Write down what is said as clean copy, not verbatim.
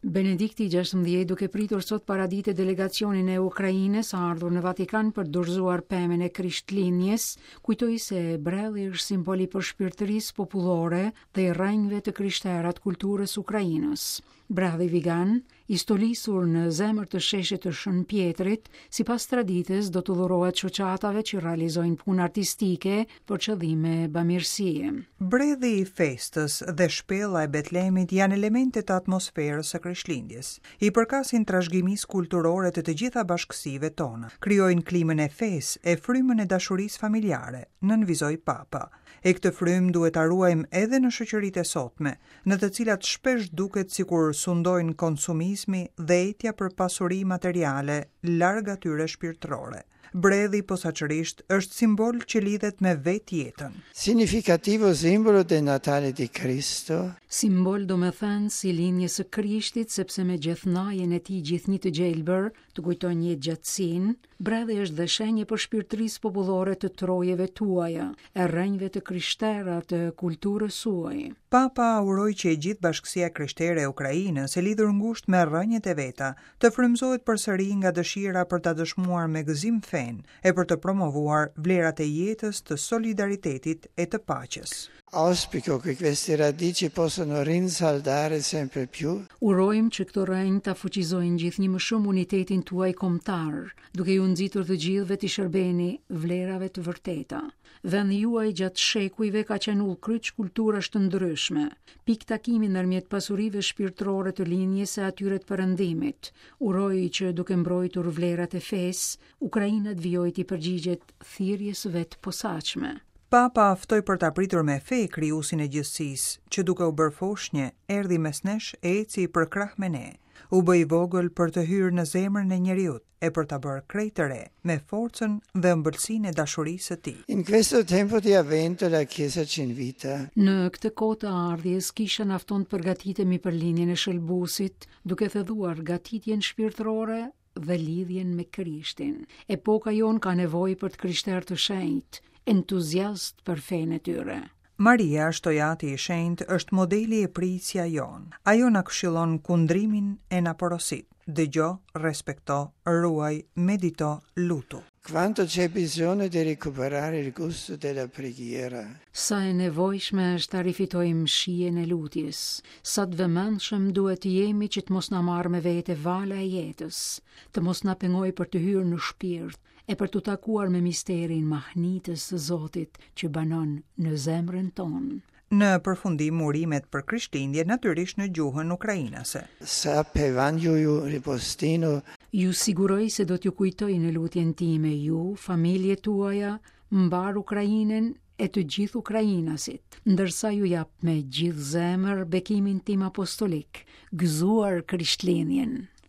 Benedikti i 16 duke pritur sot paradite delegacionin e Ukrainës ardhur në Vatikan për të dorëzuar pemën e Krishtlindjes, kujtoi se bredhi është simbol i përshpirtërisë popullore dhe i rrënjëve të krishtera të kulturës ukrainës. Bredhi vigan, i stolisur në zemër të sheshit të Shën Pjetrit, sipas traditës do t'u dhurohet shoqatave që realizojnë punë artistike për qëllime bamirësie. Bredhi i festës dhe shpella e Betlemit janë elemente të atmosferës së Krishtlindjes. I përkasin trashëgimisë kulturore të të gjitha bashkësive tona. Krijojnë klimën e fesë e frymën e dashurisë familjare, nënvizoi Papa. E këtë frymë duhet ta ruajmë edhe në shoqëritë e sotme, në të cilat shpesh duket sikur sundojnë konsumizmi dhe etja për pasuri materiale larg atyre shpirtërore. Bredhi posaçërisht është simbol që lidhet me vetë jetën. Significativo simbolo del Natale di Cristo. Simbol domethënës i lindjes së Krishtit, sepse me gjethnajen e tij gjithnjë të gjelbër, të kujton jetëgjatësinë, bredhi është dhe shenjë e përshpirtërisë popullore të trojeve tuaja, e rrënjëve të krishtera të kulturës suaj. Papa uroi që e gjithë bashkësia e krishtere e Ukrainës, e lidhur ngushtë me rrënjët e veta, të frymëzohet përsëri nga dëshira për ta dëshmuar me gëzim fenë e për të promovuar vlerat e jetës, të solidaritetit e të paqes. Auspico che queste radici possano rinsaldare sempre più. Urojmë që këto rrënjë ta fuqizojnë gjithnjë më shumë unitetin tuaj kombëtar, duke ju nxitur të gjithëve t'i shërbeni vlerave të vërteta. Vendi juaj gjatë shekujve ka qenë udhëkryq kulturash të ndryshme, pikë takimi ndërmjet pasurive shpirtërore të lindjes e atyre të perëndimit. Uroj që duke mbrojtur vlerat e fesë, Ukraina të vijojë t'i përgjigjet thirrjes së vet të posaçme. Papa ftoi për ta pritur me fe Krijuesin e gjithësisë, që duke u bërë foshnje, erdhi mes nesh e eci përkrah me ne. U bë i vogël për të hyrë në zemrën e njeriut e për ta bërë krejt të re, me forcën dhe ëmbëlsinë e dashurisë së tij. In questo tempo di avvento la Chiesa ci invita. Në këtë kohë të ardhjes, Kisha na fton të përgatitemi për lindjen e Shëlbuesit, duke thelluar gatitjen shpirtërore dhe lidhjen me Krishtin. Epoka jonë ka nevojë për të krishterë të shenjtë, entuziastë për fenë e tyre. Maria, shtoi Ati i Shenjtë, është modeli e prijësja jonë. Ajo na këshillon kundrimin e na porosit, dëgjo, respekto, ruaj, medito, lutu. Quanto c'è bisogno di recuperare il gusto della preghiera. Sa e nevojshme është ta rifitojmë shijen e lutjes, sa të vëmendshëm duhet të jemi që të mos na marrë me vete vala e jetës, të mos na pengojë për të hyrë në shpirt e për t'u takuar me misterin mahnitës të Zotit që banon në zemrën tonë. Në përfundim urimet për Krishtlindje natyrisht në gjuhën ukrainase. Zapevnjayu ripostino. Ju siguroj se do t'ju kujtoj në lutjen time ju, familjet tuaja, mbarë Ukrainën e të gjithë ukrainasit, ndërsa ju jap me gjithë zemër bekimin tim apostolik, gëzuar Krishtlindjen.